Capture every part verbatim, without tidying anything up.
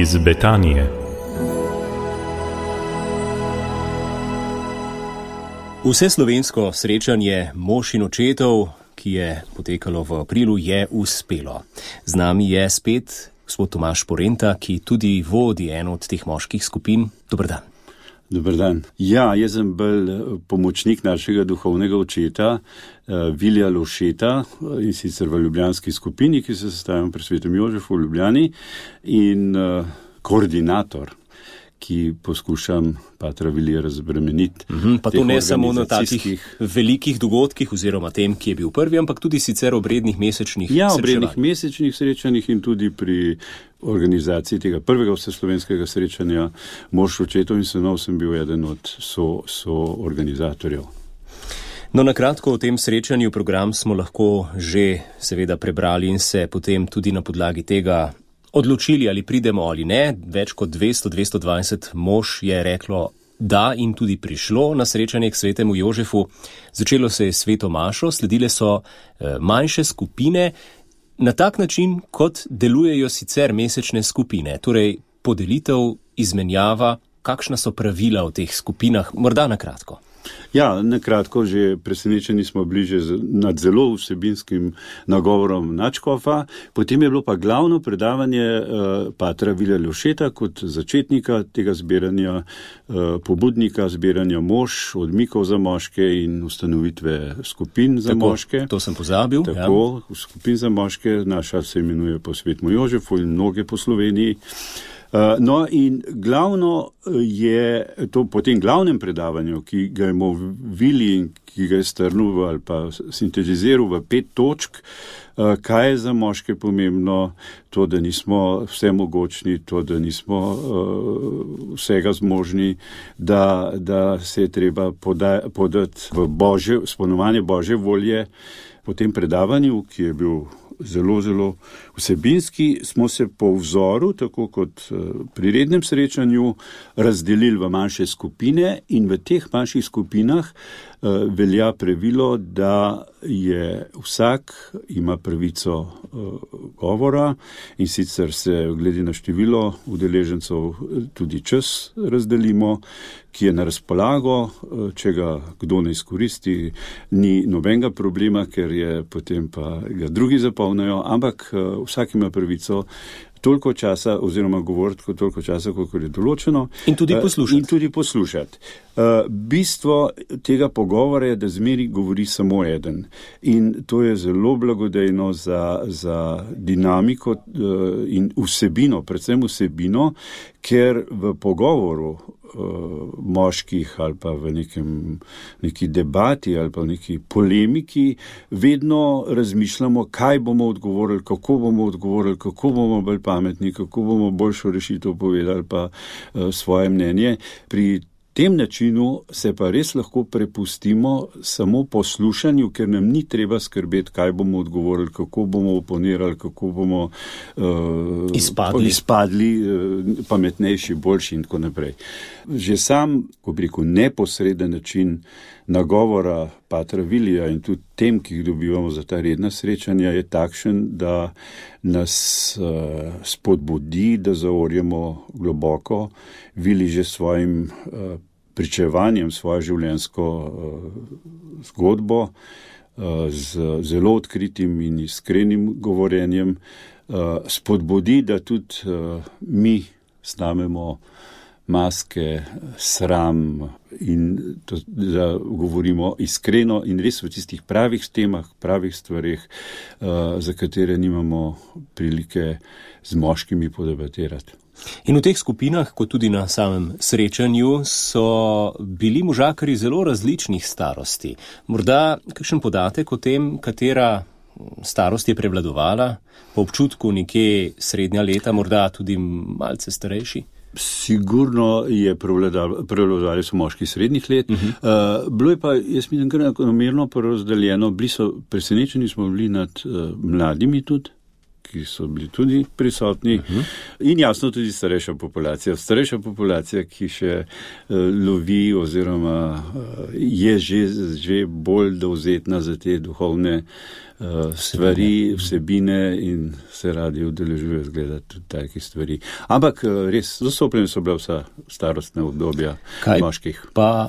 iz Betanije. Vseslovensko srečanje mož in očetov, ki je potekalo v aprilu, je uspelo. Z nami je spet gospod Tomaž Porenta, ki tudi vodi eno od teh moških skupin. Dober dan. Dober dan. Ja, jaz sem bolj pomočnik našega duhovnega očeta, Vilija Lovšeta, in sicer v ljubljanski skupini, ki se sestavljamo pri Svetem Jožefu v Ljubljani, in uh, koordinator, ki poskušam patra Vilija razbremeniti. Mm-hmm, pa to ne samo na takih velikih dogodkih oziroma tem, ki je bil prvi, ampak tudi sicer obrednih mesečnih ja, srečanjih. Ja, obrednih mesečnih srečanjih in tudi pri organizaciji tega prvega vseslovenskega srečanja mož očetov in sinov sem bil eden od so, so organizatorjev. No, na kratko o tem srečanju program smo lahko že seveda prebrali in se potem tudi na podlagi tega odločili, ali pridemo ali ne. Več kot dvesto do dvesto dvajset mož je reklo da in tudi prišlo na srečanje k Svetemu Jožefu. Začelo se je sveto mašo, sledile so e, manjše skupine, na tak način, kot delujejo sicer mesečne skupine. Torej, podelitev, izmenjava, kakšna so pravila v teh skupinah, morda na kratko. Ja, nakratko, že presenečeni smo bliže nad zelo vsebinskim nagovorom nadškofa. Potem je bilo pa glavno predavanje uh, patra Vilija Lovšeta kot začetnika tega zbiranja, uh, pobudnika zbiranja mož, odmikov za moške in ustanovitve skupin za Tako, moške. To sem pozabil. Tako, ja. Skupin za moške, naša se imenuje po Svetemu Jožefu in mnoge po Sloveniji. Uh, no in glavno je to po tem glavnem predavanju, ki ga je Vili in ki ga je strnil ali pa sintetiziral v pet točk, uh, kaj je za moške pomembno, to, da nismo vsemogočni, to, da nismo uh, vsega zmožni, da, da se je treba poda, podati v Božje, spoštovanje Božje volje. Po tem predavanju, ki je bil zelo, zelo vsebinski, smo se po vzoru, tako kot pri rednem srečanju, razdelili v manjše skupine in v teh manjših skupinah uh, velja pravilo, da je vsak ima pravico uh, govora in sicer se glede na število udeležencev tudi čas razdelimo, ki je na razpolago, če ga kdo ne izkoristi, ni nobenega problema, ker je potem pa ga drugi zapolnijo, ampak uh, vsak ima pravico toliko časa oziroma govoriti kot toliko časa, koliko je določeno. In tudi poslušati. In tudi poslušati. Uh, bistvo tega pogovora je, da zmeri govori samo eden. In to je zelo blagodejno za, za dinamiko uh, in vsebino, predvsem vsebino, ker v pogovoru uh, moških ali pa v nekem, neki debati ali pa v neki polemiki vedno razmišljamo, kaj bomo odgovorili, kako bomo odgovorili, kako bomo bolj pametni, kako bomo boljšo rešitev povedali pa uh, svoje mnenje. Pri tem načinu se pa res lahko prepustimo samo poslušanju, ker nam ni treba skrbeti, kaj bomo odgovorili, kako bomo oponirali, kako bomo uh, izpadli, izpadli uh, pametnejši, boljši in tako naprej. Že sam, ko bi rekel, neposreden način nagovora patra Vilija in tudi tem, ki jih dobivamo za ta redna srečanja, je takšen, da nas uh, spodbudi, da zaorjemo globoko. Vili že svojim uh, pričevanjem, svojo življenjsko uh, zgodbo, uh, z zelo odkritim in iskrenim govorjenjem, uh, spodbudi, da tudi uh, mi snamemo maske, sram in to, da govorimo iskreno in res v tistih pravih temah, pravih stvarih, uh, za katere nimamo prilike z moškimi podebatirati. In v teh skupinah, kot tudi na samem srečanju, so bili možakarji zelo različnih starosti. Morda kakšen podatek o tem, katera starost je prevladovala, po občutku nekje srednja leta, morda tudi malce starejši? Sigurno je prevladovali so moški srednjih let. Uh-huh. Uh, bilo je pa, jaz mislim, kar namerno porazdeljeno, bili so, presenečeni smo bili nad uh, mladimi tudi, ki so bili tudi prisotni. Uh-huh. In jasno tudi starejša populacija. Starejša populacija, ki še uh, lovi oziroma uh, je že, že bolj dovzetna za te duhovne uh, stvari, vsebine in se radi udeležuje zgledati tudi takih stvari. Ampak uh, res, zastopljene so bila vsa starostna obdobja Kaj moških. Pa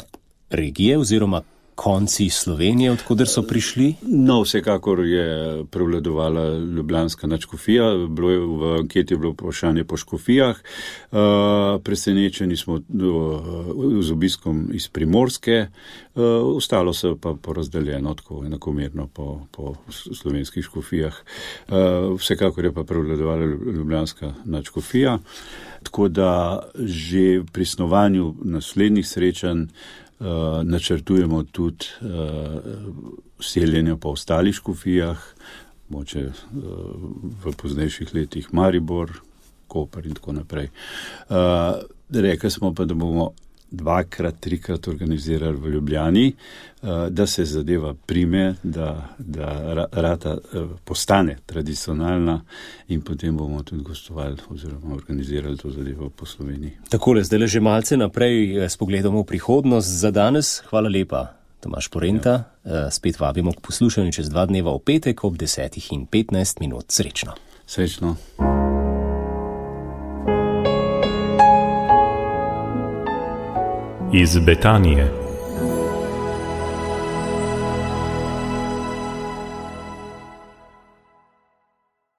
regije oziroma konci Slovenije, odkuder so prišli? No, vsekakor je prevladovala ljubljanska nadškofija, bilo je v anketi je bilo vprašanje po škofijah, uh, presenečeni smo uh, z obiskom iz Primorske, uh, ostalo se pa porazdeljeno tako enakomerno po, po slovenskih škofijah. Uh, vsekakor je pa prevladovala ljubljanska nadškofija, tako da že pri snovanju naslednjih srečanj Uh, načrtujemo tudi uh, seljenje po ostalih škofijah, moče uh, v poznejših letih Maribor, Koper in tako naprej. Uh, rekli smo pa, da bomo dvakrat, trikrat organizirali v Ljubljani, uh, da se zadeva prime, da, da rata uh, postane tradicionalna in potem bomo tudi gostovali oziroma organizirali to zadevo po Sloveniji. Takole, zdaj le že malce naprej s pogledom v prihodnost. Za danes hvala lepa, Tomaž Porenta. Ja. Spet vabimo k poslušanju čez dva dneva v petek ob desetih in petnajst minut. Srečno. Srečno. Iz Betanije.